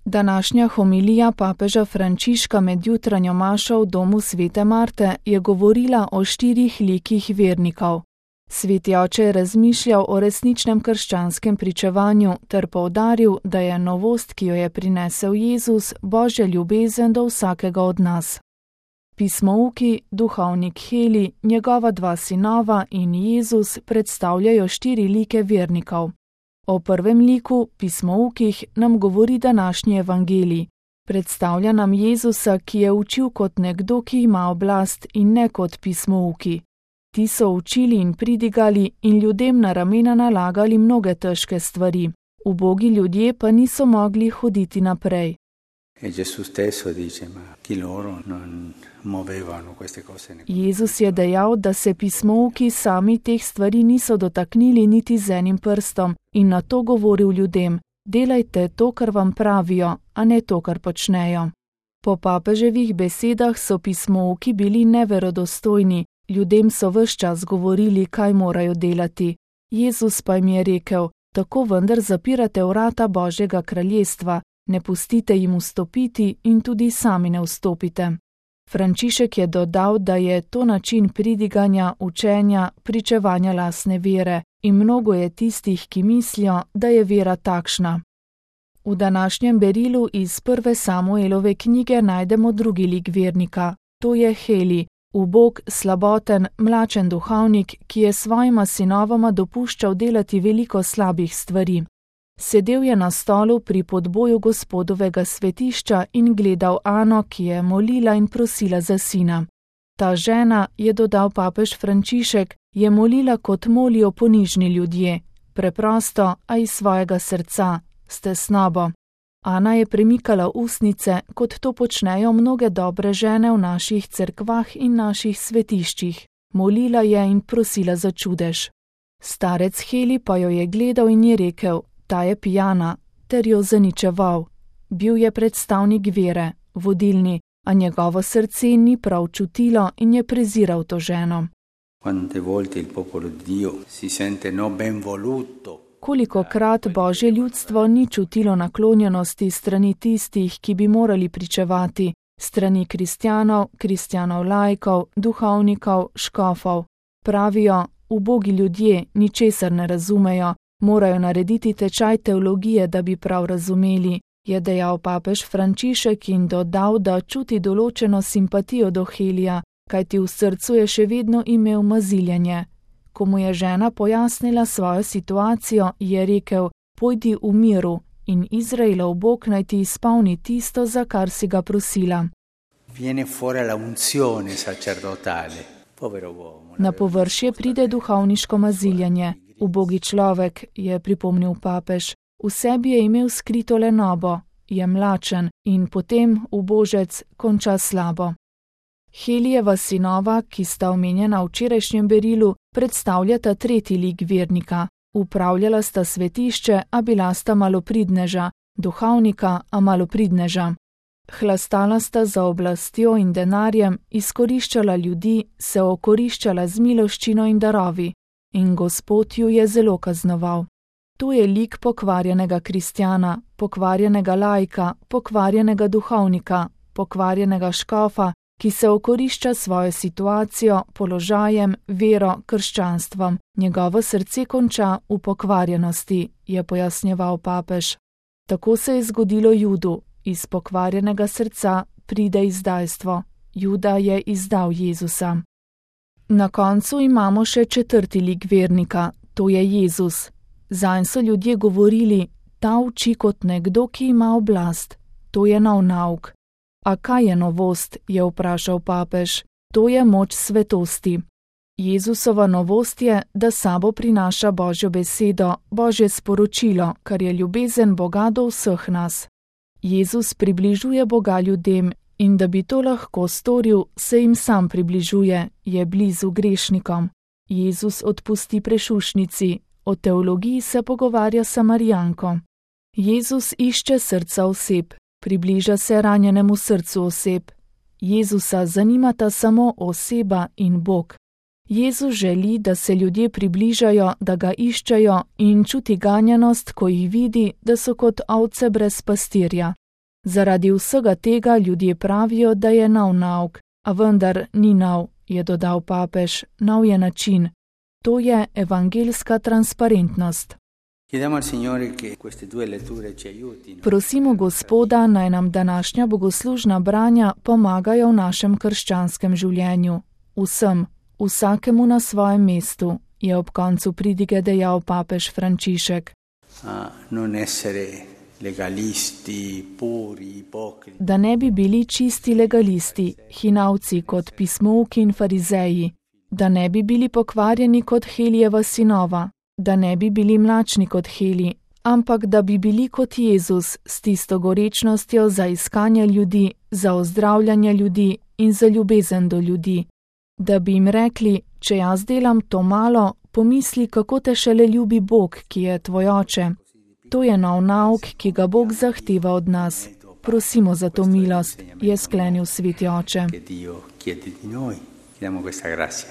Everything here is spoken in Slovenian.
Današnja homilija papeža Frančiška med jutranjo mašo v domu svete Marte je govorila o 4 likih vernikov. Sveti oče je razmišljal o resničnem krščanskem pričevanju ter poudaril, da je novost, ki jo je prinesel Jezus, Božja ljubezen do vsakega od nas. Pismouki, duhovnik Heli, njegova 2 sinova in Jezus predstavljajo 4 like vernikov. O prvem liku, pismoukih, nam govori današnji evangelij. Predstavlja nam Jezusa, ki je učil kot nekdo, ki ima oblast in ne kot pismouki. Ti so učili in pridigali in ljudem na ramena nalagali mnoge težke stvari. Ubogi ljudje pa niso mogli hoditi naprej. Jezus je dejal, da se pismouki sami teh stvari niso dotaknili niti z enim prstom in na to govoril ljudem: delajte to, kar vam pravijo, a ne to, kar počnejo. Po papeževih besedah so pismouki bili neverodostojni, ljudem so ves čas govorili, kaj morajo delati. Jezus pa jim je rekel: tako vendar zapirate vrata Božjega kraljestva, ne pustite jim vstopiti in tudi sami ne vstopite. Frančišek je dodal, da je to način pridiganja, učenja, pričevanja lastne vere in mnogo je tistih, ki mislijo, da je vera takšna. V današnjem berilu iz 1. Samuelove knjige najdemo drugi lik vernika, to je Heli, ubog, slaboten, mlačen duhovnik, ki je svojima sinovoma dopuščal delati veliko slabih stvari. Sedel je na stolu pri podboju Gospodovega svetišča in gledal Ano, ki je molila in prosila za sina. Ta žena, je dodal papež Frančišek, je molila kot molijo ponižni ljudje, preprosto, a iz svojega srca, s tesnobo. Ana je premikala ustnice, kot to počnejo mnoge dobre žene v naših cerkvah in naših svetiščih. Molila je in prosila za čudež. Starec Heli pa jo je gledal in je rekel: ta je pijana, ter jo zaničeval. Bil je predstavnik vere, vodilni, a njegovo srce ni prav čutilo in je preziral to ženo. Kolikokrat Božje ljudstvo ni čutilo naklonjenosti strani tistih, ki bi morali pričevati, strani kristjanov laikov, duhovnikov, škofov. Pravijo: ubogi ljudje ničesar ne razumejo, morajo narediti tečaj teologije, da bi prav razumeli, je dejal papež Frančišek in dodal, da čuti določeno simpatijo do Helija, kajti v srcu je še vedno imel maziljenje. Ko mu je žena pojasnila svojo situacijo, je rekel: pojdi v miru in Izraelov Bog naj ti izpolni tisto, za kar si ga prosila. Na površje pride duhovniško maziljenje. Ubogi človek, je pripomnil papež, v sebi je imel skrito lenobo, je mlačen in potem, ubožec, konča slabo. Helijeva sinova, ki sta omenjena v včerajšnjem berilu, predstavljata tretji lik vernika. Upravljala sta svetišče, a bila sta malopridneža, duhovnika, a malopridneža. Hlastala sta za oblastjo in denarjem, izkoriščala ljudi, se okoriščala z miloščino in darovi. In Gospod ju je zelo kaznoval. To je lik pokvarjenega kristjana, pokvarjenega laika, pokvarjenega duhovnika, pokvarjenega škofa, ki se okorišča svojo situacijo, položajem, vero, krščanstvom. Njegovo srce konča v pokvarjenosti, je pojasnjeval papež. Tako se je zgodilo Judu, iz pokvarjenega srca pride izdajstvo. Juda je izdal Jezusa. Na koncu imamo še četrti lik vernika, to je Jezus. Zanj so ljudje govorili: ta uči kot nekdo, ki ima oblast. To je nov nauk. A kaj je novost, je vprašal papež. To je moč svetosti. Jezusova novost je, da sabo prinaša Božjo besedo, Božje sporočilo, kar je ljubezen Boga do vseh nas. Jezus približuje Boga ljudem in da bi to lahko storil, se jim sam približuje, je blizu grešnikom. Jezus odpusti prešušnici, o teologiji se pogovarja s Samarijanko. Jezus išče srca oseb, približa se ranjenemu srcu oseb. Jezusa zanimata samo oseba in Bog. Jezus želi, da se ljudje približajo, da ga iščejo in čuti ganjenost, ko jih vidi, da so kot ovce brez pastirja. Zaradi vsega tega ljudje pravijo, da je nov nauk, a vendar ni nov, je dodal papež, nov je način. To je evangeljska transparentnost. Prosimo Gospoda, naj nam današnja bogoslužna branja pomagajo v našem krščanskem življenju. Vsem, vsakemu na svojem mestu, je ob koncu pridige dejal papež Frančišek. Da ne bi bili čisti legalisti, hinavci kot pismouki in farizeji, da ne bi bili pokvarjeni kot Helijeva sinova, da ne bi bili mlačni kot Heli, ampak da bi bili kot Jezus s tisto gorečnostjo za iskanje ljudi, za ozdravljanje ljudi in za ljubezen do ljudi. Da bi jim rekli, če jaz delam to malo, pomisli, kako te šele ljubi Bog, ki je tvoj oče. To je nov nauk, ki ga Bog zahteva od nas. Prosimo za to milost, je sklenil sveti oče.